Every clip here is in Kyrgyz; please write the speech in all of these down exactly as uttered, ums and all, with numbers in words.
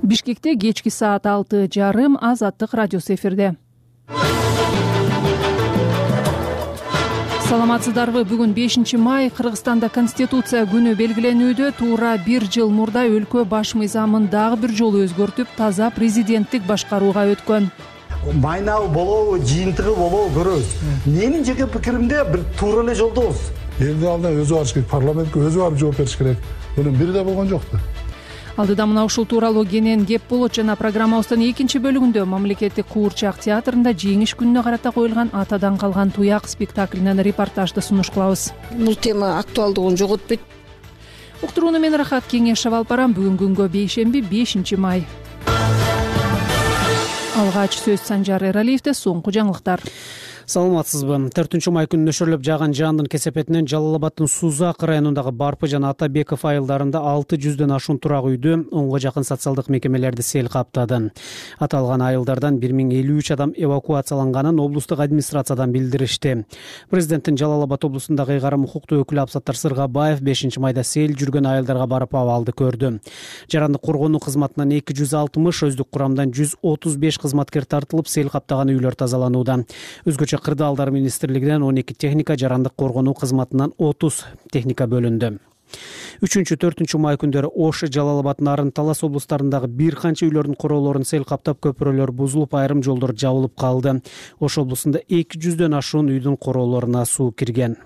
Бишкекте кечки саат алты жарым Азаттык радиосу эфирде. Саламатсыздарбы? Бүгүн бешинчи май, Кыргызстанда Конституция күнү белгиленүүдө. Туура бир жыл мурда өлкө баш мыйзамын дагы бир жолу өзгөртүп, таза президенттик башкарууга өткөн. Майнабы болобу, жыйынтыгы болобу көрөбүз. Менин жеке пикиримде бир туура эле жолдобуз. Элдин алдына өзү барыш керек, парламентке өзү барып жооп бериш керек. Мунун бири да болгон жок да. Алдыда мына ушул тууралуу кенен кеп болот жана программабыздын экинчи бөлүгүндө мамлекеттик куурчак театрында жеңиш күнүнө карата коюлган атадан калган туяк спектаклинен репортажды сунуш кылабыз. Бул тема актуалдыгын жоготпойт. Уктурууну мен Рахат Кеңешев алып барам. Бүгүн күнгө бейшемби бешинчи май. Алгач сөз Санжар Эралиевде, соңку жаңылыктар. Саламатсызбы? төртүнчү май күнү нөшөрлөп жааган жаандын кесепетинен Жалал Абаддын Сузак районундагы Барпы жана Атабеков айылдарында алты жүздөн ашуун турак үйдү, онго жакын социалдык мекемелерди сел каптады. Аталган айылдардан бир миң элүү үч адам эвакуацияланганын облустук администрациядан билдиришти. Президенттин Жалал Абад облусундагы ыйгарым укуктуу өкүлү Абсаттар Сыргабаев бешинчи майда сел жүргөн айылдарга барып абалды көрдү. Жарандык коргонуу кызматынан эки жүз алтымыш, өздүк курамдан жүз отуз беш кызматкер тартылып, сел каптаган үйлөр тазаланууда. Өзгөчө Кырдаалдар министрлигинен он эки техника, жарандык коргонуу кызматынан отуз техника бөлүндү. үчүнчү төртүнчү май күндөрү Ош, Жалал Абад, Нарын, Талас облустарындагы бир канча үйлөрдүн короолорун сел каптап, көпүрөлөр бузулуп, айрым жолдор жабылып калды. Ош облусунда эки жүздөн ашуун үйдүн короолоруна суу кирген.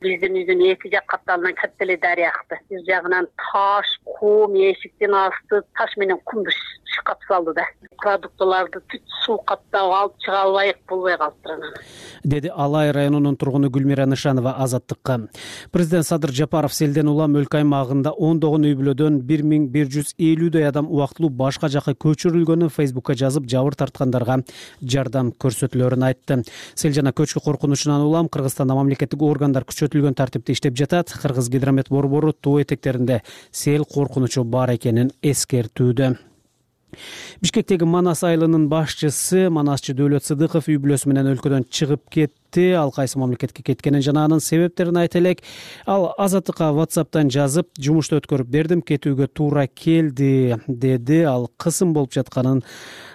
Биздин үйдүн эки жак капталынан катты эле дарыя акты. Бир жагынан таш, кум, эшиктин асты таш менен кумду шкап салды да. Продуктыларды түт суу каптап алып чыга албай болбой калыптыр анан. Деди Алай районунун тургуну Гүлмира Нышанова Азаттыкка. Президент Садыр Жапаров селден улам өлкө аймагында ондогон үй бүлөдөн бир миң бир жүз элүүдөй адам убактылуу башка жакка көчүрүлгөнүн Фейсбукка жазып, жабыр тарткандарга жардам көрсөтүлөрүн айтты. Сел жана көчкү коркунучунан улам Кыргызстанда мамлекеттик органдар күчөтүлгөн тартипте иштеп жатат. Кыргыз гидромет борбору тоо этектеринде сел коркунучу бар экенин эскертүүдө. Бишкектеги Манас айылынын башчысы Манасчы Дөөлөт Сыдыков үй бүлөсү менен өлкөдөн чыгып кетти. Ал кайсы мамлекетке кеткенин жана анын себептерин айта элек. Ал Азаттыкка WhatsApp'тан жазып, жумушту өткөрүп бердим, кетүүгө туура келди, деди. Ал кысым болуп жатканын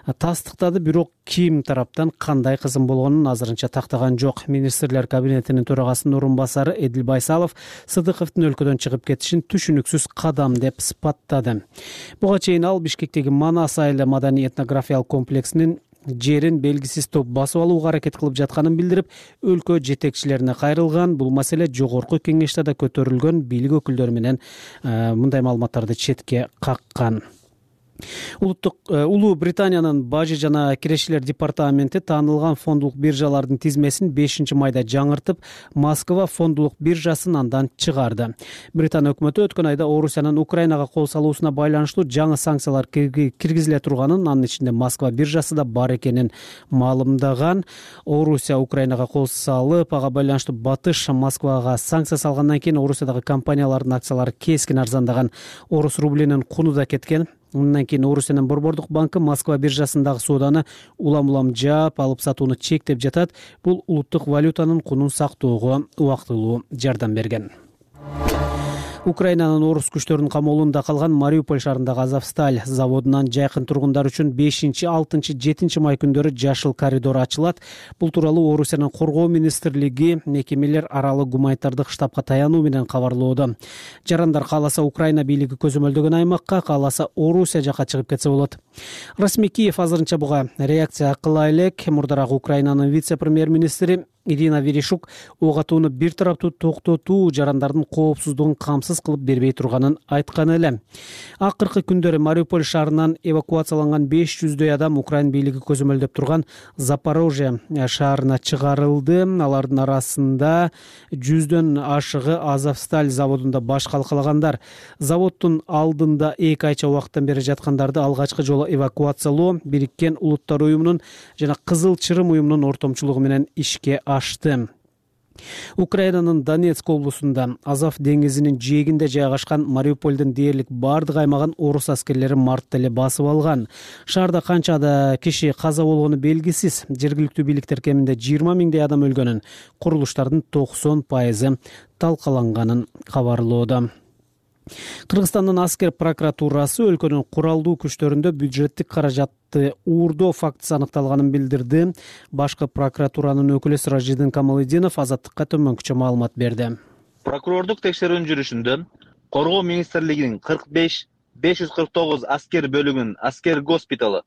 тастыктады, бирок ким тараптан кандай кысым болгонун азырынча тактаган жок. Министрлер кабинетинин төрагасынын орун басары Эдил Байсалов Сыдыковдун өлкөдөн чыгып кетишин түшүнүксүз кадам деп сыпаттады. Буга чейин ал Бишкектеги Манас айылы маданий этнографиялык комплексинин жерин белгисиз топ басып алууга аракет кылып жатканын билдирип, өлкө жетекчилерине кайрылган. Бул маселе жогорку кеңеште да көтөрүлгөн, бийлик өкүлдөрү менен мындай маалыматтарды четке каккан. Улуттук Улуу Британиянын бажы жана кирешилер департаменти таанылган фондулук биржалардын тизмесин бешинчи майда жаңыртып, Москва фондулук биржасын андан чыгарды. Британия өкмөтү өткөн айда Орусиянын Украинага кол салуусуна байланыштуу жаңы санкциялар киргизиле турганын, анын ичинде Москва биржасы да бар экенин маалымдаган. Орусия Украинага кол салып, ага байланыштуу Батыш Москвага санкция салгандан кийин Орусиядагы компаниялардын акциялары кескин арзандаган. Орус рублинин куну да кеткен. Мындан кийин Орусиянын Борбордук банкы Москва биржасындагы сооданы улам-улам жаап, алып сатууну чектеп жатат. Бул улуттук валютанын кунун сактоого убактылуу жардам берген. Украинанын орус күчтөрүнүн камоолунда калган Мариуполь шаарындагы Азовсталь заводунан жайкын тургундар үчүн бешинчи, алтынчы, жетинчи май күндөрү жашыл коридор ачылат. Бул тууралуу Орусиянын коргоо министрлиги мекемелер аралык гуманитардык штабка таянуу менен кабарлоодо. Жарандар кааласа Украина бийлиги көзөмөлдөгөн аймакка, кааласа Орусия жакка чыгып кетсе болот. Расмий Киев азырынча буга реакция кыла элек. Мурдараак Украинанын вице-премьер-министри Ирина Верешук ок атууну бир тараптуу токтотуу жарандардын коопсуздугун камсыз кылып бербей турганын айткан эле. Акыркы күндөрү Мариуполь шаарынан эвакуацияланган беш жүздөй адам Украин бийлиги көзөмөлдөп турган Запорожье шаарына чыгарылды. Алардын арасында жүздөн ашыгы Азовсталь заводунда баш калкалагандар. Заводдун алдында эки айча убакыттан бери жаткандарды алгачкы жолу эвакуациялоо Бириккен Улуттар уюмунун жана Кызыл Чырым уюмунун ортомчулугу менен ишке ашты. Украинанын Донецк облусунда Азов деңизинин жээгинде жайгашкан Мариупольдун дээрлик бардык аймагын орус аскерлери мартта эле басып алган. Шаарда канчада киши каза болгону белгисиз. Жергиликтүү бийликтер кеминде жыйырма миңдей адам өлгөнүн, курулуштардын токсон пайызы талкаланганын кабарлоодо. Кыргызстандын аскер прокуратурасы өлкөнүн куралдуу күчтөрүндө бюджеттик каражатты уурдоо фактысы аныкталганын билдирди. Башкы прокуратуранын өкүлү Сиражиддин Камалетдинов Азаттыкка төмөнкүчө маалымат берди. Прокурордук текшерүүнүн жүрүшүндө Коргоо министрлигинин кырк беш беш жүз кырк тогуз аскер бөлүгүнүн аскер госпиталы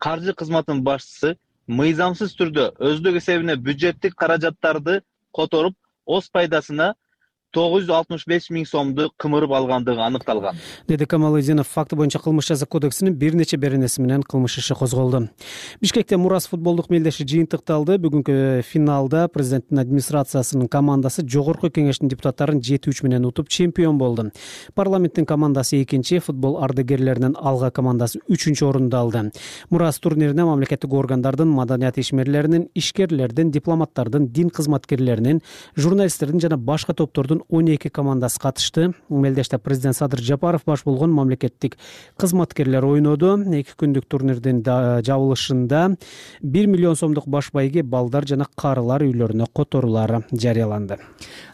каржы кызматынын башчысы мыйзамсыз түрдө өздүк эсебине бюджеттик каражаттарды которуп, оз пайдасына тогуз жүз алтымыш беш миң сомду кымырып алгандыгы аныкталган, деди Камалетдинов. Факты боюнча кылмыш жаза кодексинин бир нече беренеси менен кылмыш иши козголду. Бишкекте Мурас футболдук мелдеши жыйынтыкталды. Бүгүнкү финалда президенттин администрациясынын командасы жогорку кеңештин депутаттарын жети үч менен утуп чемпион болду. Парламенттин командасы экинчи, футбол ардагерлеринин алга командасы үчүнчү орунду алды. Мурас турнирине мамлекеттик органдардын, маданият ишмерлеринин, ишкерлердин, дипломаттардын, дин кызматкерлеринин, журналисттердин жана башка топтордун он эки командасы катышты. Мелдеште президент Садыр Жапаров баш болгон мамлекеттик кызматкерлер ойноду. Эки күндүк турнирдин жабылышында бир миллион сомдук баш байге балдар жана карылар үйлөрүнө которуулар жарыяланды.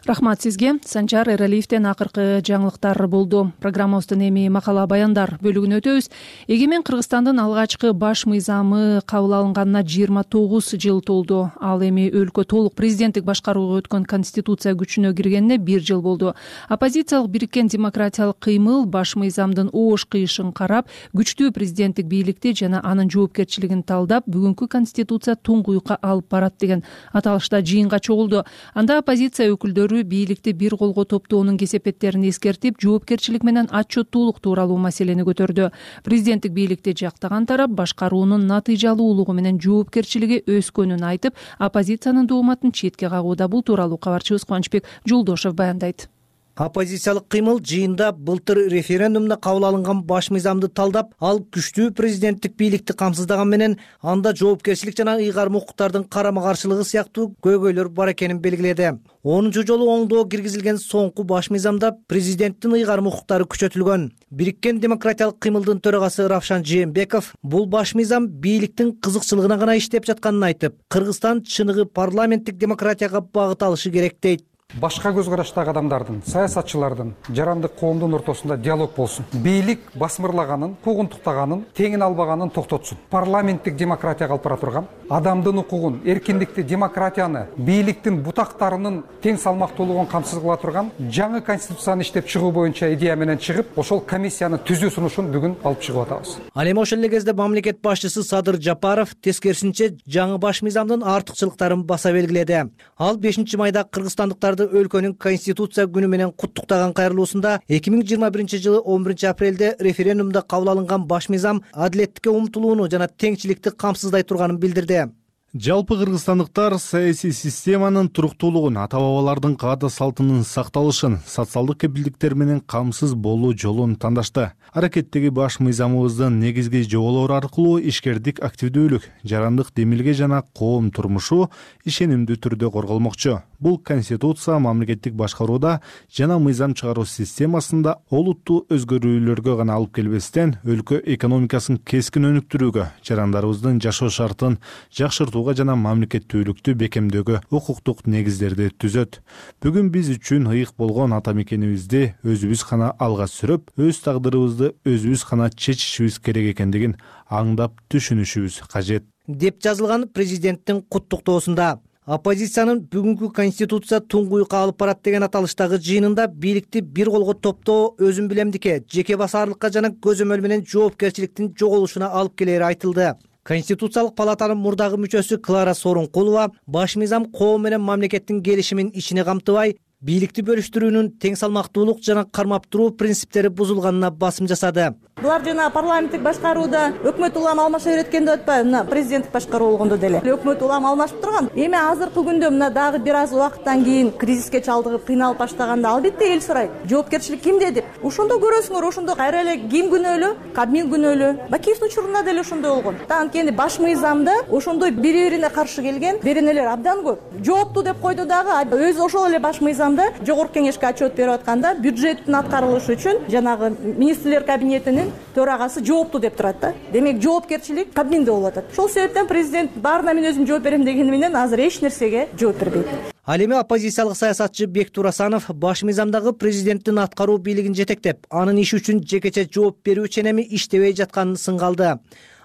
Рахмат сизге. Санчар Эралиевден акыркы жаңылыктар болду. Программабыздын эми макала баяндар бөлүгүнө өтөбүз. Эгемен Кыргызстандын алгачкы баш мыйзамы кабыл алынганына жыйырма тогуз жыл толду. Ал эми өлкө толук президенттик башкарууга өткөн конституция күчүнө киргенине бир жыл болду. Оппозициялык бириккен демократиялык кыймыл баш мыйзамдын оош кыйышын карап, күчтүү президенттик бийликти жана анын жоопкерчилигин талдап, бүгүнкү конституция туңгуюкка алып барат деген аталышта жыйынга чогулду. Анда оппозиция өкүлдөрү бийликти бир колго топтоонун кесепеттерин эскертип, жоопкерчилик менен отчеттуулук тууралуу маселени көтөрдү. Президенттик бийликти жактаган тарап башкаруунун натыйжалуулугу менен жоопкерчилиги өскөнүн айтып, оппозициянын дооматын четке кагууда. Бул тууралуу кабарчыбыз Кубанычбек Жолдошев баяндайт. Оппозициялык кыймыл жыйында былтыр референдумда кабыл алынган баш мыйзамды талдап, ал күчтүү президенттик бийликти камсыздаган менен анда жоопкерчилик жана ыйгарым укуктардын карама-каршылыгы сыяктуу көйгөйлөр бар экенин белгиледи. онунчу жолу оңдоо киргизилген соңку баш мыйзамда президенттин ыйгарым укуктары күчөтүлгөн. Бириккен демократиялык кыймылдын төрагасы Равшан Жээнбеков бул баш мыйзам бийликтин кызыкчылыгына гана иштеп жатканын айтып, Кыргызстан чыныгы парламенттик демократияга багыт алышы керек дейт. Башка көз караштагы адамдардын, саясатчылардын, жарандык коомдун ортосунда диалог болсун. Бийлик басмырлаганын, куугунтуктаганын, теңин албаганын токтотсун. Парламенттик демократия алып бара турган, адамдын укугун, эркиндикти, демократияны, бийликтин бутактарынын тең салмактуулугун камсыз кыла турган жаңы конституцияны иштеп чыгуу боюнча идея менен чыгып, ошол комиссияны түзүү сунушун бүгүн алып чыгып атабыз. Ал эми ошол эле кезде мамлекет башчысы Садыр Жапаров тескерисинче жаңы баш мыйзамдын артыкчылыктарын баса белгиледи. Ал бешинчи майда кыргызстандыктарды өлкөнүн конституция күнү менен куттуктаган кайрылуусунда эки миң жыйырма биринчи жылы он биринчи апрелде референдумда кабыл алынган баш мыйзам адилеттикке умтулууну жана теңчиликти камсыздай турганын билдирди. Жалпы кыргызстандыктар саясий системанын туруктуулугун, ата-бабалардын каада салтынын сакталышын, социалдык кепилдиктер менен камсыз болуу жолун тандашты. Аракеттеги баш мыйзамыбыздын негизги жоболору аркылуу ишкердик, активдүүлүк, жарандык демилге жана коом турмушу ишенимдүү түрдө корголмокчу. Бул конституция мамлекеттик башкарууда жана мыйзам чыгаруу системасында олуттуу өзгөрүүлөргө гана алып келбестен, өлкө экономикасын кескин өнүктүрүүгө, жарандарыбыздын жашоо шартын жакшыртууга жана мамлекеттүүлүктү бекемдөөгө укуктук негиздерди түзөт. Бүгүн биз үчүн ыйык болгон ата мекенибизди өзүбүз гана алга сүрөп, өз тагдырыбызды өзүбүз гана чечишибиз керек экендигин аңдап түшүнүшүбүз кажет, деп жазылган президенттин куттуктоосунда. Оппозициянын бүгүнкү конституция туңгуюкка алып барат деген аталыштагы жыйынында бийликти бир колго топтоо өзүм билемдикке, жеке басарлыкка жана көзөмөл менен жоопкерчиликтин жоголушуна алып келери айтылды. Конституциялык палатанын мурдагы мүчөсү Клара Сооронкулова баш мыйзам коом менен мамлекеттин келишимин ичине камтыбай, бийликти бөлүштүрүүнүн тең салмактуулук жана кармап туруу принциптери бузулганына басым жасады. Булар жана парламенттик башкарууда өкмөт улам алмаша береткенде атпайбы, мына президенттик башкаруу болгондо деле өкмөт улам алмашып турган. Эми азыркы күндө мына дагы бир аз убакыттан кийин кризиске чалдыгып кыйналып баштаганда албетте эл сурайт. Жоопкерчилик кимде деп. Ошондо көрөсүңөр, ошондо кайра эле ким күнөөлүү? Кабмин күнөөлүү. Бакиевдин учурунда деле ошондой болгон. Анткени баш мыйзамда ошондой бири-бирине каршы келген беренелер абдан көп. Жоопту деп койду дагы, өзү ошол эле баш мыйзам жылында жогорку кеңешке отчет берип атканда бюджеттин аткарылышы үчүн жанагы министрлер кабинетинин төрагасы жоопту деп турат да. Демек жоопкерчилик кабминде болуп атат. Ошол себептен президент баарына мен өзүм жооп берем дегени менен азыр эч нерсеге жооп бербейт. Ал эми оппозициялык саясатчы Бектур Асанов баш мыйзамдагы президенттин аткаруу бийлигин жетектеп, анын иши үчүн жекече жооп берүү ченеми иштебей жатканын сынгалды.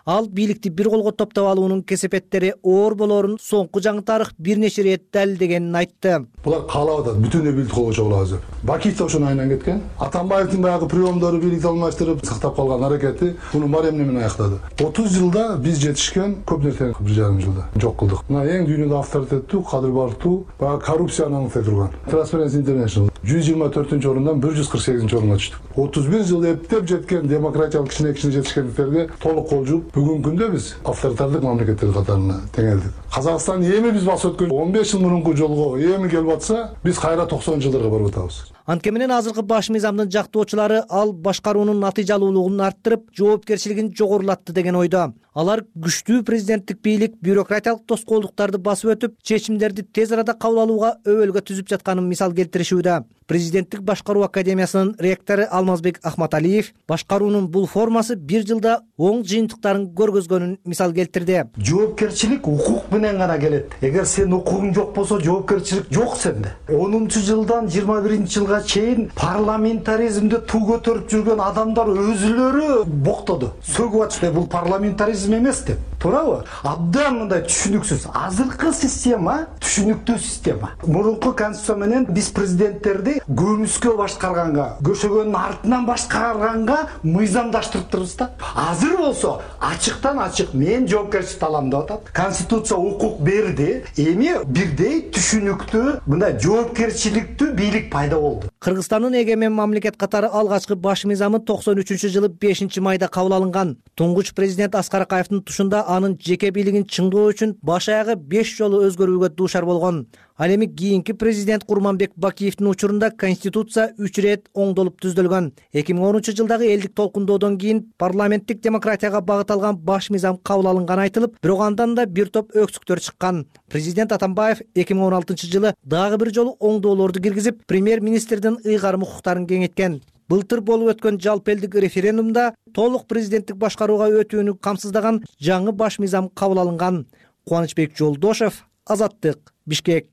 Ал бийликти бир колго топтоп алуунун кесепеттери оор болоорун соңку жаңы тарых бир нече ирет далилдегенин айтты. Булар каалап атат бүтүндөй бийликти колго чогулабыз деп. Бакиев да ошону айынан кеткен. Атамбаевдин баягы приемдору бийликти алмаштырып сактап калган аракети муну Мариям менен аяктады. отуз жылда биз жетишкен көп нерсени бир жарым жылда жок кылдык. Мына эң дүйнөдө авторитеттүү, кадыр бардуу, баягы коррупцияны аңлытай турган Transparency International жүз жыйырма төртүнчү орундан бир жүз кырк сегизинчи орунга түштүк. отуз бир жыл эптеп жеткен демократиялык кичине-кичине жетишкендиктерге толук кол жууп, бүгүнкү күндө биз авторитардык мамлекеттер катарына теңелдик. Казакстан эми биз басып өткөн он беш жыл мурунку жолго эми келип атса, биз кайра токсонунчу жылдарга барып атабыз. Анткени менен азыркы баш мыйзамдын жактоочулары ал башкаруунун натыйжалуулугун арттырып, жоопкерчилигин жогорулатты деген ойдо. Алар күчтүү президенттик бийлик бюрократиялык тоскоолдуктарды басып өтүп, чечимдерди тез арада кабыл алууга өбөлгө түзүп жатканын мисал келтиришүүдө. Президенттик башкаруу академиясынын ректору Алмазбек Ахматалиев башкаруунун бул формасы бир жылда оң жыйынтыктарын көргөзгөнүн мисал келтирди. Жоопкерчилик укук менен гана келет. Эгер сен укугуң жок болсо, жоопкерчилик жок сенде. онунчу жылдан жыйырма биринчи жылга чейин парламентаризмди туу көтөрүп жүргөн адамдар өзүлөрү боктоду. Сөгүп атышты, бул парламентаризм эмес деп. Туурабы? Абдан мындай түшүнүксүз. Азыркы система түшүнүктүү система. Мурунку конституция менен биз президенттерди көмүскө башкарганга, көшөгөнүн артынан башкарганга мыйзамдаштырыптырбыз да. Азыр болсо ачыктан ачык мен жоопкерчиликти алам деп атат. Конституция укук берди. Эми бирдей түшүнүктүү мындай жоопкерчиликтүү бийлик пайда болду. Кыргызстандын эгемен мамлекет катары алгачкы баш мыйзамы токсон үчүнчү жылы бешинчи майда кабыл алынган. Туңгуч президент Аскар Акаевдин тушунда анын жеке бийлигин чыңдоо үчүн баш аягы беш жолу өзгөрүүгө дуушар болгон. Ал эми кийинки президент Курманбек Бакиевдин учурунда конституция үч ирет оңдолуп түзүлгөн. эки миң онунчу жылдагы элдик толкундоодон кийин парламенттик демократияга багыт алган баш мыйзам кабыл алынганы айтылып, бирок андан да бир топ өксүктөр чыккан. Президент Атамбаев эки миң он алтынчы жылы дагы бир жолу оңдоолорду киргизип, премьер-министрдин ыйгарым укуктарын кеңейткен. Былтыр болуп өткөн жалпы элдик референдумда толук президенттик башкарууга өтүүнү камсыздаган жаңы баш мыйзам кабыл алынган. Кубанычбек Жолдошев, Азаттык, Бишкек.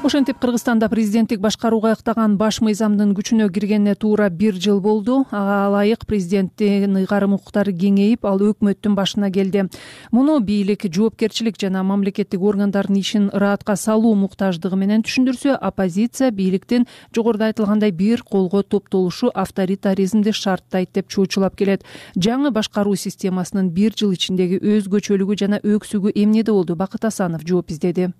Ошентип Кыргызстанда президенттик башкарууга ыктаган баш мыйзамдын күчүнө киргенине туура бир жыл болду. Ага ылайык президенттин ыйгарым укуктары кеңейип, ал өкмөттүн башына келди. Муну бийлик, жоопкерчилик жана мамлекеттик органдардын ишин ыраатка салуу муктаждыгы менен түшүндүрсө, оппозиция бийликтин жогоруда айтылгандай бир колго топтолушу авторитаризмди шарттайт деп чуучулап келет. Жаңы башкаруу системасынын бир жыл ичиндеги өзгөчөлүгү жана өксүгү эмнеде болду? Бакыт Асанов жооп издеди.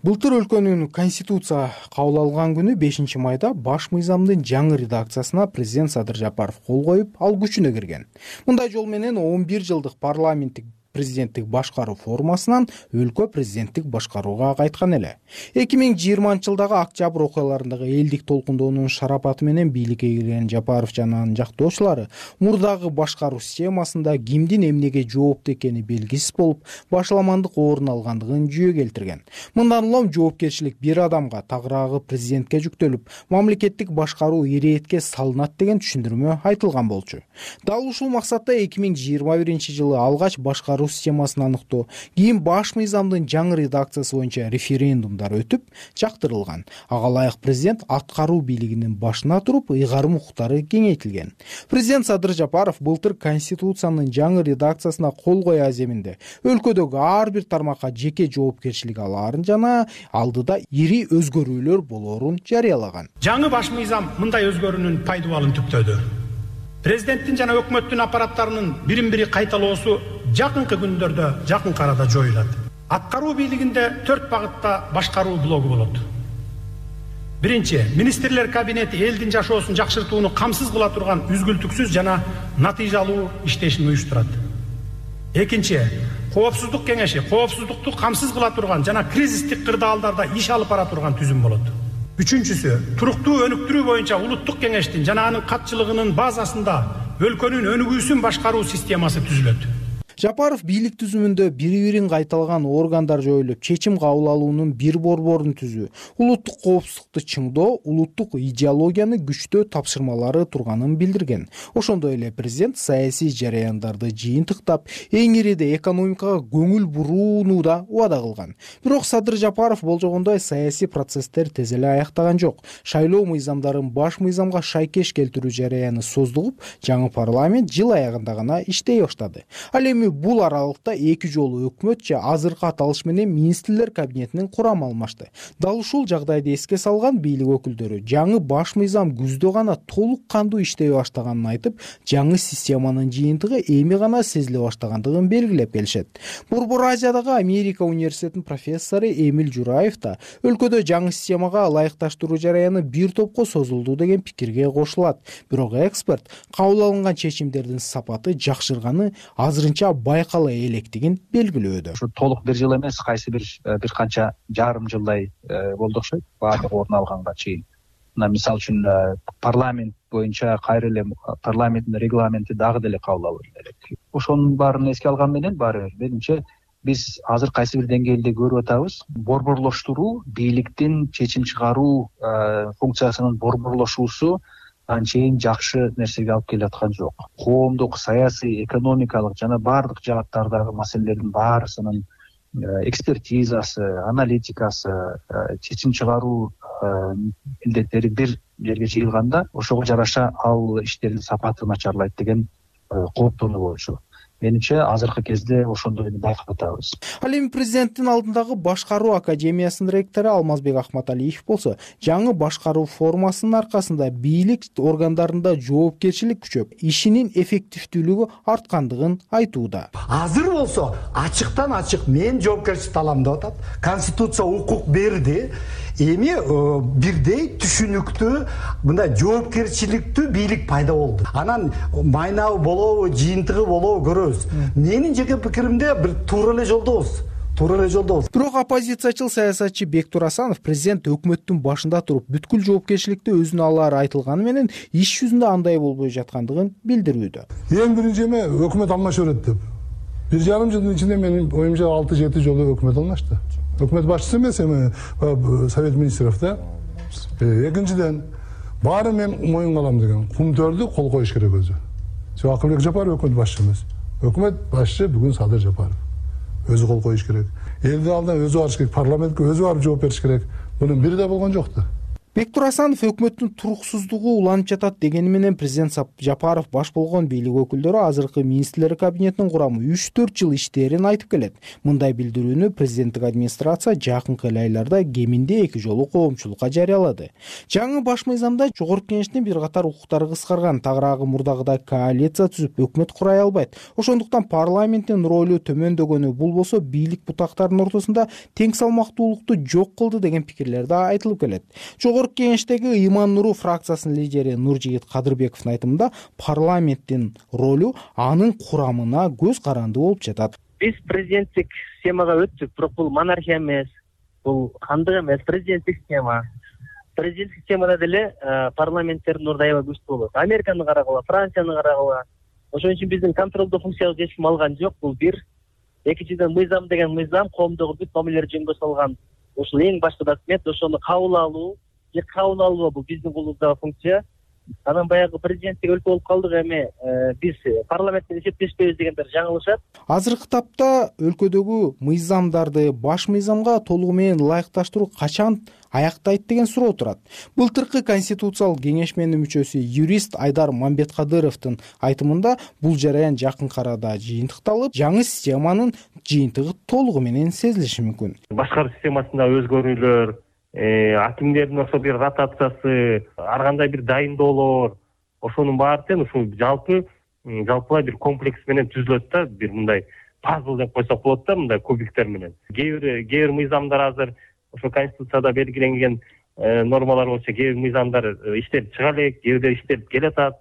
Былтыр өлкөнүн конституция кабыл алган күнү бешинчи майда баш мыйзамдын жаңы редакциясына президент Садыр Жапаров кол коюп, ал күчүнө кирген. Мындай жол менен он бир жылдык парламенттик президенттик башкаруу формасынан өлкө президенттик башкарууга кайткан эле. эки миң жыйырманчы жылдагы октябрь окуяларындагы элдик толкундоонун шарапаты менен бийликке кирген Жапаров жана анын жактоочулары мурдагы башкаруу системасында кимдин эмнеге жооптуу экени белгисиз болуп, башаламандык орун алгандыгын жүйө келтирген. Мындан улам жоопкерчилик бир адамга, тагыраагы президентке жүктөлүп, мамлекеттик башкаруу иретке салынат деген түшүндүрмө айтылган болчу. Дал ушул максатта эки миң жыйырма биринчи жылы алгач башкаруу системасын аныктоо, кийин баш мыйзамдын жаңы редакциясы боюнча референдумдар өтүп, жактырылган. Ага ылайык президент аткаруу бийлигинин башына туруп, ыйгарым укуктары кеңейтилген. Президент Садыр Жапаров былтыр конституциянын жаңы редакциясына кол кое аземинде өлкөдөгү ар бир тармакка жеке жоопкерчилик алаарын жана алдыда ири өзгөрүүлөр болоорун жарыялаган. Жаңы баш мыйзам мындай өзгөрүүнүн пайдабалын түптөдү. Президенттин жана өкмөттүн аппараттарынын бирин-бири кайталоосу жакынкы күндөрдө жакын арада жоюлат. Аткаруу бийлигинде төрт багытта башкаруу блогу болот. Биринчи, министрлер кабинети элдин жашоосун жакшыртууну камсыз кыла турган үзгүлтүксүз жана натыйжалуу иштешин уюштурат. Экинчи, коопсуздук кеңеши коопсуздукту камсыз кыла турган жана кризистик кырдаалдарда иш алып бара турган түзүм болот. Үчүнчүсү, туруктуу өнүктүрүү боюнча улуттук кеңештин жана анын катчылыгынын базасында өлкөнүн өнүгүүсүн башкаруу системасы түзүлөт. Жапаров бийлик түзүмүндө бири бирин кайталган органдар жоюлуп, чечим кабыл алуунун бир борборун түзүү, улуттук коопсуздукту чыңдоо, улуттук идеологияны күчтөө тапшырмалары турганын билдирген. Ошондой эле президент саясий жараяндарды жыйынтыктап, эң ириде экономикага көңүл бурууну да убада кылган. Бирок Садыр Жапаров болжогондой саясий процесстер тез эле аяктаган жок. Шайлоо мыйзамдарын баш мыйзамга шайкеш келтирүү жараяны создугуп, жаңы парламент жыл аягында гана иштей баштады. Ал эми бул аралыкта эки жолу өкмөт же азыркы аталыш менен министрлер кабинетинин курамы алмашты. Дал ушул жагдайды эске салган бийлик өкүлдөрү жаңы баш мыйзам күздө гана толук кандуу иштей баштаганын айтып, жаңы системанын жыйынтыгы эми гана сезиле баштагандыгын белгилеп келишет. Борбор Азиядагы Америка университетинин профессору Эмиль Жураев да өлкөдө жаңы системага ылайыкташтыруу жараяны бир топко созулду деген пикирге кошулат. Бирок эксперт кабыл алынган чечимдердин сапаты жакшырганы азырынча байкала электигин белгилөөдө. Ушу толук бир жыл эмес, кайсы бир бир канча жарым жылдай болду окшойт баардык орун алганга чейин. Мына мисалы үчүн парламент боюнча кайра эле парламенттин регламенти дагы деле кабыл алынуу керек. Ошонун баарын эске алган менен баары бир менимче биз азыр кайсы бир деңгээлде көрүп атабыз. Борборлоштуруу, бийликтин чечим чыгаруу функциясынын борборлошуусу анчейин жакшы нерсеге алып келаткан жок. Коомдук, саясий, экономикалык жана баардык жааттардагы маселелердин баарысынын экспертизасы, аналитикасы, чечим чыгаруу милдеттери бир жерге жыйылганда, ошого жараша ал иштердин сапаты начарлайт деген кооптонуу болчу. Менимче азыркы кезде ошондойду байкап атабыз. Ал эми президенттин алдындагы башкаруу академиясынын ректору Алмазбек Ахматалиев болсо, жаңы башкаруу формасынын аркасында бийлик органдарында жоопкерчилик күчөп, ишинин эффективдүүлүгү арткандыгын айтууда. Азыр болсо ачыктан ачык мен жоопкерчиликти алам деп атат. Конституция укук берди. Эми бирдей түшүнүктүү мындай жоопкерчиликтүү бийлик пайда болду. Анан майнабы болобу, жыйынтыгы болобу көрөбүз. Менин жеке пикиримде бир туура эле жолдобуз. Туура эле жолдобуз. Бирок оппозициячыл саясатчы Бектур Асанов президент өкмөттүн башында туруп бүткүл жоопкерчиликти өзүнө алары айтылганы менен иш жүзүндө андай болбой жаткандыгын билдирүүдө. Эң биринчи эме өкмөт алмаша берет деп. Бир жарым жылдын ичинде менин оюмча алты жети жолу өкмөт алмашты. Өкмөт башчысы эмес эми Совет министров да. Экинчиден баары мен моюнга алам деген кумтөрдү кол коюш керек өзү. Акылбек Жапаров өкмөт башчысы эмес. Өкмөт башчы бүгүн Садыр Жапаров. Өзү кол коюш керек. Элдин алдына өзү барыш керек, парламентке өзү барып жооп бериш керек. Мунун бири да болгон жокты. Бектур Асанов өкмөттүн туруксуздугу уланып жатат дегени менен президент Жапаров баш болгон бийлик өкүлдөрү азыркы министрлер кабинетинин курамы үч төрт жыл иштерин айтып келет. Мындай билдирүүнү президенттик администрация жакынкы айларда кеминде эки жолу коомчулукка жарыялады. Жаңы баш мыйзамда жогорку кеңештин бир катар укуктары кыскарган, тагыраагы мурдагыдай коалиция түзүп өкмөт курай албайт. Ошондуктан парламенттин ролу төмөндөгөнү, бул болсо бийлик бутактарынын ортосунда тең салмактуулукту жок кылды деген пикирлер да айтылып келет. Жогорку кеңештеги Иман Нуру фракциясынын лидери Нуржигит Кадырбековдун айтымында парламенттин ролу анын курамына көз каранды болуп жатат. Биз президенттик системага өттүк, бирок бул монархия эмес, бул хандык эмес, президенттик система. Президенттик системада деле парламенттердин орду аябай күчтүү болот. Американы карагыла, Францияны карагыла. Ошон үчүн биздин контролдоо функциялык чечим алган жок. Бул бир. Экинчиден мыйзам деген мыйзам коомдогу бүт мамилелер жөнгө салган. Ошол эң башкы документ, ошону кабыл алуу, же кабыл алуу бул биздин колубуздагы функция. Анан баягы президенттик өлкө болуп калдык, эми биз парламенттен эсептешпейбиз дегендер жаңылышат. Азыркы тапта өлкөдөгү мыйзамдарды баш мыйзамга толугу менен ылайыкташтыруу качан аяктайт деген суроо турат. Былтыркы конституциялык кеңешменин мүчөсү юрист Айдар Мамбеткадыровдун айтымында бул жараян жакынкы арада жыйынтыкталып, жаңы системанын жыйынтыгы толугу менен сезилиши мүмкүн. Башкаруу системасында өзгөрүүлөр, акимдердин ошо бир ротациясы, ар кандай бир дайындоолор, ошонун баары тең ушул жалпы жалпылай бир комплекс менен түзүлөт да, бир мындай пазл деп койсок болот да, мындай кубиктер менен. Кээ бир кээ бир мыйзамдар азыр ошо конституцияда белгиленген нормалар боюнча кээ бир мыйзамдар иштелип чыга элек, кээ бирдер иштелип келатат.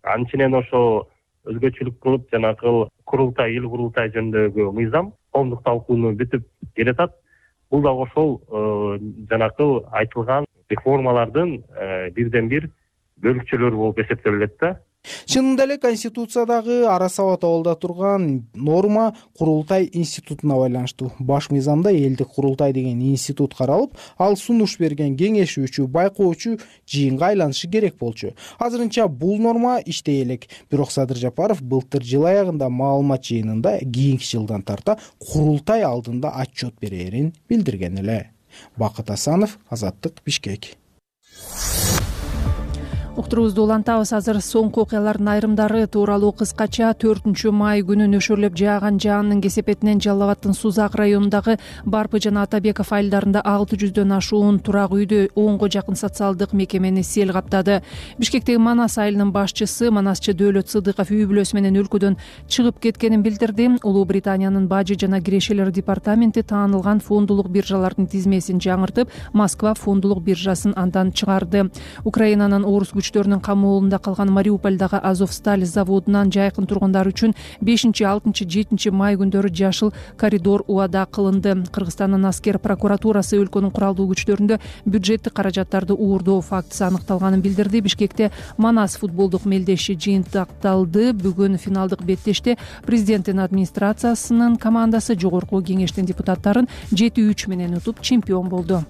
Анченен ошо өзгөчөлүк кылып жанагы курултай, эл курултай жөнүндөгү мыйзам коомдук талкууну бүтүп келатат. Бул да ошол жанагы айтылган реформалардын бирден бир бөлүкчөлөрү болуп эсептелет да. Чынында эле Конституциядагы ара сабатабалда турган норма курултай институтуна байланыштуу. Баш мыйзамда элдик курултай деген институт каралып, ал сунуш берген кеңешүүчү, байкоочу жыйынга айланышы керек болчу. Азырынча бул норма иштей элек. Бирок Садыр Жапаров былтыр жыл аягында маалымат жыйынында кийинки жылдан тарта курултай алдында отчет берерин билдирген эле. Бакыт Асанов, Азаттык, Бишкек. Уктурубузду улантабыз. Азыр соңку окуялардын айрымдары тууралуу кыскача төртүнчү май күнү нөшөрлөп жааган жаандын кесепетинен Жалал Абаддын Сузак районундагы Барпы жана Атабеков айылдарында алты жүздөн ашуун турак үйдү, онго жакын социалдык мекемени сел каптады. Бишкектеги Манас айылынын башчысы Манасчы Дөөлөт Сыдыков үй бүлөсү менен өлкөдөн чыгып кеткенин билдирди. Улуу Британиянын бажы жана кирешелер департаменти таанылган фондулук биржалардын тизмесин жаңыртып, Москва фондулук биржасын андан чыгарды. Украинанын орус күчтөрүнүн камоолунда калган Мариупольдагы Азовсталь заводунан жайкын тургундар үчүн бешинчи, алтынчы, жетинчи май күндөрү жашыл коридор убада кылынды. Кыргызстандын аскер прокуратурасы өлкөнүн куралдуу күчтөрүндө бюджеттик каражаттарды уурдоо фактысы аныкталганын билдирди. Бишкекте Манас футболдук мелдеши жыйынтыкталды. Бүгүн финалдык беттеште президенттин администрациясынын командасы жогорку кеңештин депутаттарын жети үч менен утуп чемпион болду.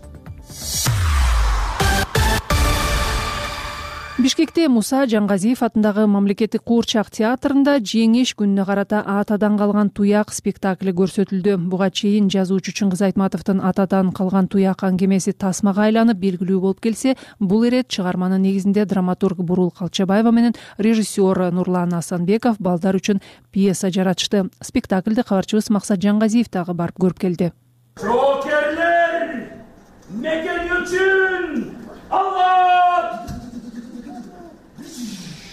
Бишкекте Муса Жаңгазиев атындагы мамлекеттик куурчак театрында жеңиш күнүнө карата Атадан калган туяк спектакли көрсөтүлдү. Буга чейин жазуучу Чыңгыз Айтматовдун Атадан калган туяк аңгемеси тасмага айланып белгилүү болуп келсе, бул ирет чыгарманын негизинде драматург Бурул Калчабаева менен режиссер Нурлан Асанбеков балдар үчүн пьеса жаратышты. Спектакльди кабарчыбыз Максат Жаңгазиев дагы барып көрүп келди. Жоокерлер, мекен үчүн Алла!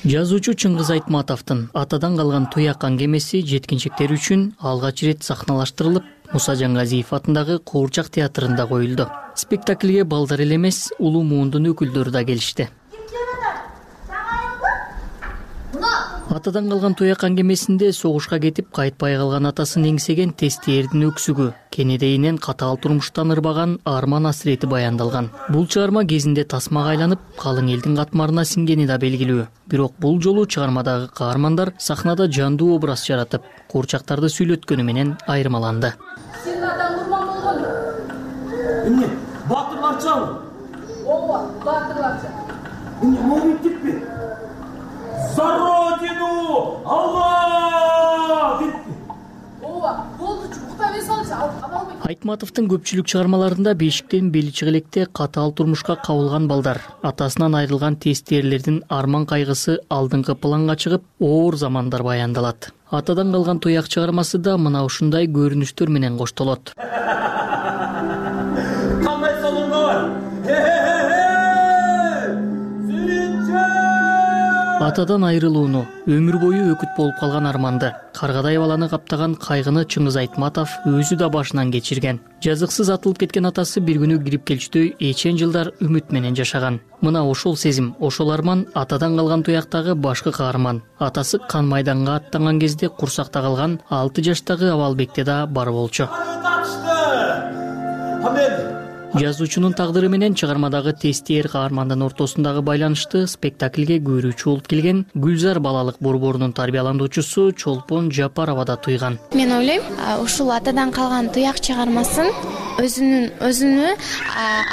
Жазуучу Чыңгыз Айтматовдун Атадан калган туяк аңгемеси жеткинчектер үчүн алгач ирет сахналаштырылып, Муса Жаңгазиев атындагы Куурчак театрында коюлду. Спектакльге балдар эле эмес, улуу муундун өкүлдөрү да келишти. Атадан калган туяк аңгемесинде согушка кетип кайтпай калган атасын эңсеген тестиердин өксүгү, кенедейинен катаал турмуштан ырбаган арман асирети баяндалган. Бул чыгарма кезинде тасмага айланып, калың элдин катмарына сиңгени да белгилүү. Бирок бул жолу чыгармадагы каармандар сахнада жандуу образ жаратып, куурчактарды сүйлөткөнү менен айырмаланды. Сен адам курман болгон. Эмне? Батырларчабы? Ооба, батырларча. Эмне моминтиппи? За родину! Алла! Ооба, болдучу, укта эме салчы, албайт. Айтматовдун көпчүлүк чыгармаларында бешиктен бели чыгылекте катаал турмушка кабылган балдар, атасынан айрылган тестиерлердин арман кайгысы алдыңкы планга чыгып, оор замандар баяндалат. Атадан калган туяк чыгармасы да мына ушундай көрүнүштөр менен коштолот. Кандай солуңго бар? Атадан айрылууну, өмүр бою өкүт болуп калган арманды, каргадай баланы каптаган кайгыны Чыңгыз Айтматов өзү да башынан кечирген. Жазыксыз атылып кеткен атасы бир күнү кирип келчүдөй эчен жылдар үмүт менен жашаган. Мына ошол сезим, ошол арман Атадан калган туяктагы башкы каарман. Атасы кан майданга аттанган кезде курсакта калган алты жаштагы Абалбекте да бар болчу. Жазуучунун тагдыры менен чыгармадагы тестиер каармандын ортосундагы байланышты спектакльге көрүүчү болуп келген Гүлзар балалык борборунун тарбияландуучусу Чолпон Жапарова да туйган. Мен ойлойм, ушул Атадан калган туяк чыгармасын өзүнүн өзүнү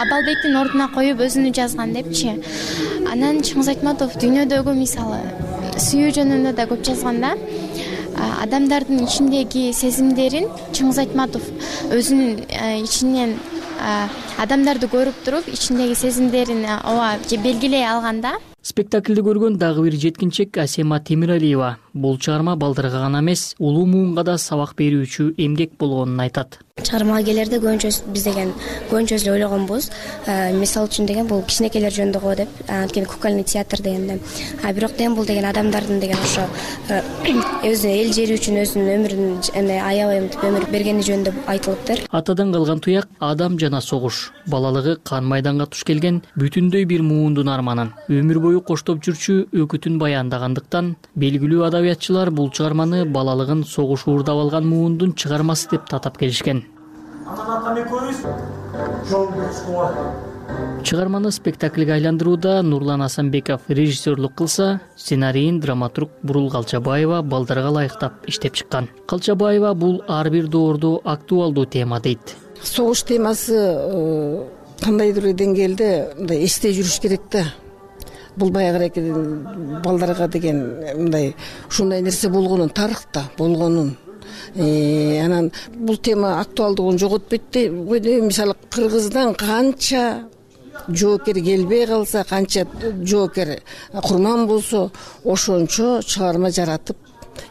Абалбектин ордуна коюп өзүнү жазган депчи. Анан Чыңгыз Айтматов дүйнөдөгү мисалы сүйүү жөнүндө да көп жазган да. Адамдардын ичиндеги сезимдерин Чыңгыз Айтматов өзүнүн ичинен адамдарды көрүп туруп, ичиндеги сезимдерин ооба белгилей алганда. Спектакльди көргөн дагы бир жеткинчек Асема Темиралиева бул чыгарма балдарга гана эмес, улуу муунга да сабак берүүчү эмгек болгонун айтат. Чыгармага келерде көбүнчө биз деген көбүнчө эле ойлогонбуз. Мисалы үчүн деген бул кичинекейлер жөнүндө го деп, анткени кукольный театр дегенде. А бирок деген бул деген адамдардын деген ошо өзү эл жери үчүн өзүнүн өмүрүн эме аябай мынтип өмүр бергени жөнүндө айтылыптыр. Атадан калган туяк адам жана согуш, балалыгы кан майданга туш келген бүтүндөй бир муундун арманын, өмүр бою коштоп жүрчү өкүтүн баяндагандыктан белгилүү адабиятчылар бул чыгарманы балалыгын согуш уурдап алган муундун чыгармасы деп татап келишкен. Анан атам экөөбүз жол көрсөткө Чыгарманы спектакльге айландырууда Нурлан Асанбеков режиссерлук кылса, сценарийин драматург Бурул Калчабаева балдарга ылайыктап иштеп чыккан. Калчабаева бул ар бир доордо актуалдуу тема дейт. Согуш темасы кандайдыр деңгээлде мындай эсте жүрүш керек да. Бул баягы балдарга деген мындай ушундай нерсе болгонун, тарыхта болгонун. Анан бул тема актуалдыгын жоготпойт дейм. Мисалы Кыргыздан канча жоокер келбей калса, канча жоокер курман болсо, ошончо чыгарма жаратып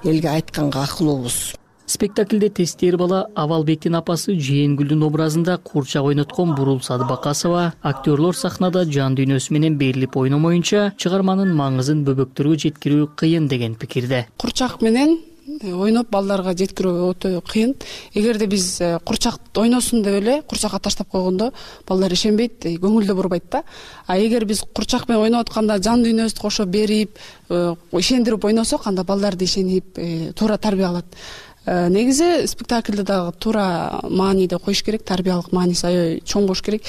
элге айтканга акылуубуз. Спектакльде тестер бала Авалбектин апасы Жээнгүлдүн образында курчак ойноткон Бурул Садыбакасова актерлор сахнада жан дүйнөсү менен берилип ойномоюнча чыгарманын маңызын бөбөктөргө жеткирүү кыйын деген пикирде. Курчак менен ойноп балдарга жеткирүү өтө кыйын. Эгерде биз курчак ойносун деп эле курчакка таштап койгондо балдар ишенбейт, көңүлдө бурбайт да. А эгер биз курчак менен ойноп атканда жан дүйнөбүздү кошо берип, ишендирип ойносок, анда балдар да ишенип, туура тарбия алат. Негизи спектакльде дагы туура мааниде коюш керек, тарбиялык мааниси аябай чоң болуш керек.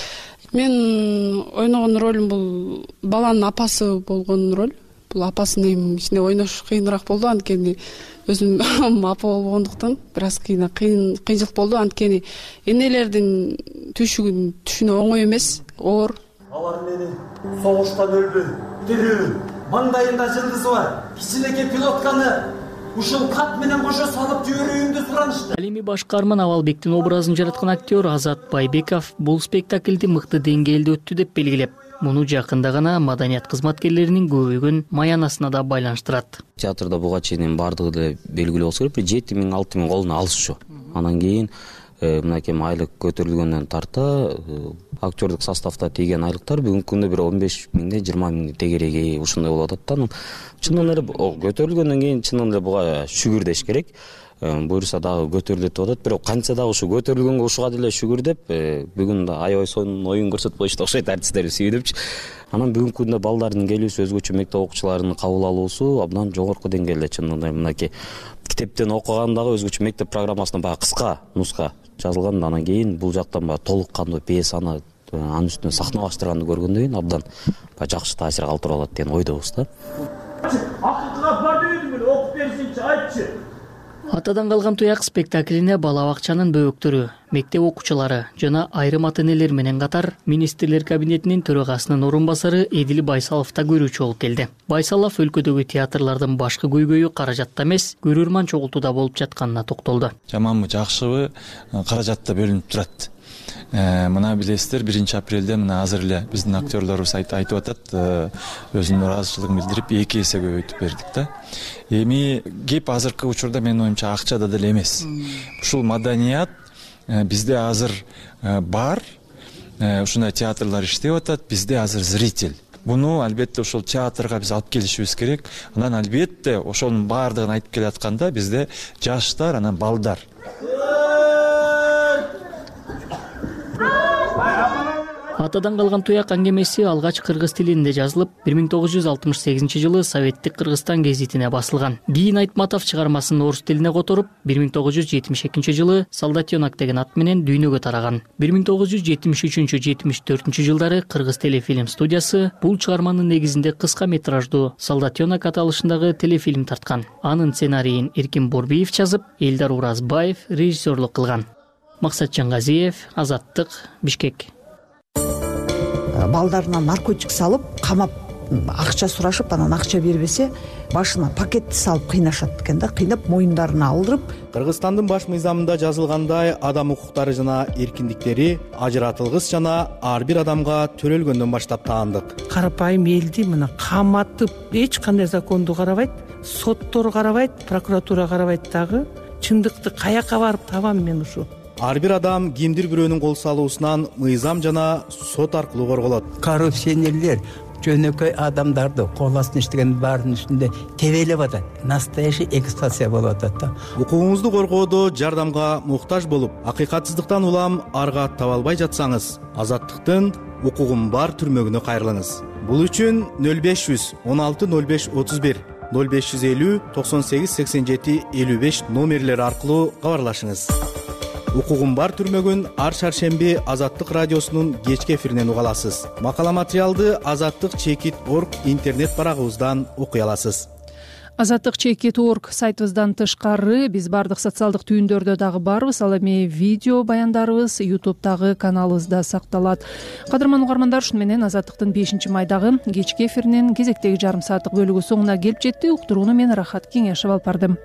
Мен ойногон ролум бул баланын апасы болгон роль. Бул апасынын ичинде ойнош кыйыныраак болду, анткени өзүм апа болгондуктан бир аз кыйын кыйынчылык болду, анткени энелердин түйшүгүн түшүнүү оңой эмес, оор. Алар менен согуштан өлбөй, тирүү, маңдайында жылдызы бар, кичинекей пилотканы ушул кат менен кошо салып жиберүүмдү суранышты. Ал эми башкарман Авалбектин образын жараткан актер Азат Байбеков бул спектакльди мыкты деңгээлде өттү деп белгилеп, муну жакында гана маданият кызматкерлеринин көбөйгөн маянасына да байланыштырат. Театрда буга чейин бардыгы деле белгилүү болсо керек, бир жети миң алты миң колуна алышчу. Анан кийин мынакей айлык көтөрүлгөндөн тарта актердук составда тийген айлыктар бүгүнкү күндө бир он беш миңден жыйырма миңдин тегереги ушундай болуп атат да. Чынын эле көтөрүлгөндөн кийин чынын эле буга шүгүр деш керек. Буюрса дагы көтөрүлөт деп атат, бирок канча дагы ушу көтөрүлгөнгө ушуга деле шүгүр деп бүгүн да аябай сонун оюн көрсөтүп коюшту окшойт артисттерди сүйүнүпчү. Анан бүгүнкү күндө балдардын келүүсү, өзгөчө мектеп окуучуларынын кабыл алуусу абдан жогорку деңгээлде. Чынында мынакей китептен окуган дагы өзгөчө мектеп программасына баягы кыска нуска жазылган, анан кийин бул жактан баягы толук кандуу пьесаны анын үстүнө сахналаштырганды көргөндөн кийин абдан жакшы таасир калтырып алат деген ойдобуз да. Акылга бар дедим, окуп берсинчи, айтчы. Атадан калган туяк спектаклине бала бакчанын бөбөктөрү, мектеп окуучулары жана айрым ата-энелер менен катар министрлер кабинетинин төрагасынын орун басары Эдил Байсалов да көрүүчү болуп келди. Байсалов өлкөдөгү театрлардын башкы көйгөйү каражатта эмес, көрөрман чогултууда болуп жатканына токтолду. Жаманбы, жакшыбы, каражатта бөлүнүп турат. Мына билесиздер, биринчи апрелде мына азыр эле биздин актерлорубуз айтып атат, өзүнүн ыраазычылыгын билдирип эки эсе көбөйтүп бердик да. Эми кеп азыркы учурда менин оюмча акчада деле эмес. Ушул маданият бизде азыр бар, ушундай театрлар иштеп атат, бизде азыр зритель. Буну албетте ошол театрга биз алып келишибиз керек. Анан албетте ошонун баардыгын айтып келатканда бизде жаштар, анан балдар. Атадан калган туяк аңгемеси алгач кыргыз тилинде жазылып, бир миң тогуз жүз алтымыш сегизинчи жылы Советтик Кыргызстан гезитине басылган. Кийин Айтматов чыгармасын орус тилине которуп, бир миң тогуз жүз жетимиш экинчи жылы Солдатенок деген ат менен дүйнөгө тараган. бир миң тогуз жүз жетимиш үчүнчү — жетимиш төртүнчү жылдары Кыргыз телефильм студиясы бул чыгарманын негизинде кыска метраждуу Солдатенок аталышындагы телефильм тарткан. Анын сценарийин Эркин Борбиев жазып, Элдар Уразбаев режиссерлук кылган. Максат Жангазиев, Азаттык, Бишкек. Балдарына наркотик салып, камап, акча сурашып, анан акча бербесе, башына пакетти салып кыйнашат экен да, кыйнап моюндарына алдырып. Кыргызстандын баш мыйзамында жазылгандай, адам укуктары жана эркиндиктери ажыратылгыс жана ар бир адамга төрөлгөндөн баштап таандык. Карапайым элди мына каматып, эч кандай законду карабайт, соттор карабайт, прокуратура карабайт дагы. Чындыкты каяка барып табам мен ушу? Ар бир адам кимдир бирөөнүн кол салуусунан мыйзам жана сот аркылуу корголот. Коррупционерлер жөнөкөй адамдарды кол астына иштеген баардын үстүндө тебелеп атат. Настоящий эксплуатация болуп атат да. Укугуңузду коргоодо жардамга муктаж болуп, акыйкатсыздыктан улам арга таба албай жатсаңыз, Азаттыктын укугум бар түрмөгүнө кайрылыңыз. Бул үчүн нөл беш жүз он алты нөл беш отуз бир, нөл беш жүз элүү токсон сегиз сексен жети элүү беш номерлери аркылуу кабарлашыңыз. укугум бар түрмөгүн ар шаршемби Азаттык радиосунун кечки эфиринен уга аласыз. Макала материалды азаттык чекит точка орг интернет барагыбыздан окуй аласыз. азаттык чекит точка орг сайтыбыздан тышкары биз бардык социалдык түйүндөрдө дагы барбыз. Ал эми видео баяндарыбыз ютубтагы каналыбызда сакталат. Кадырман угармандар, ушуну менен Азаттыктын бешинчи майдагы кечки эфиринин кезектеги жарым сааттык бөлүгү соңуна келип жетти. Уктурууну мен Рахат Кеңешев алып бардым.